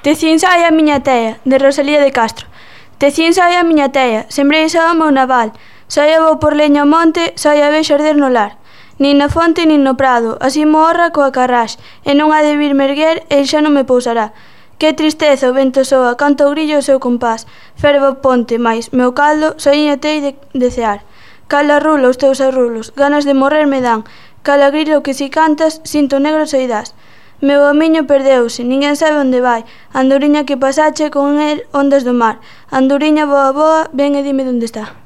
Tecín sai a miña tea, de Rosalía de Castro. Tecín sai a miña tea, sembrei xa o meu naval. Saia vou por leña ao monte, saia vexo arder no lar. Nin na fonte nin no prado, así mo horra coa carrás, e non ha de vir merguer, el xa non me pousará. Que tristeza o vento soa, canta o grillo o seu compás. Ferve o ponte, mais, meu caldo, soiña tei de cear. Cala rulo os teus arrulos, ganas de morrer me dan. Cala grilo que si cantas, cinto negro soidás. Meu amiño perdeuse, ninguén sabe onde vai. Andoriña que pasache con el ondas do mar. Andoriña boa boa, ven e dime onde está.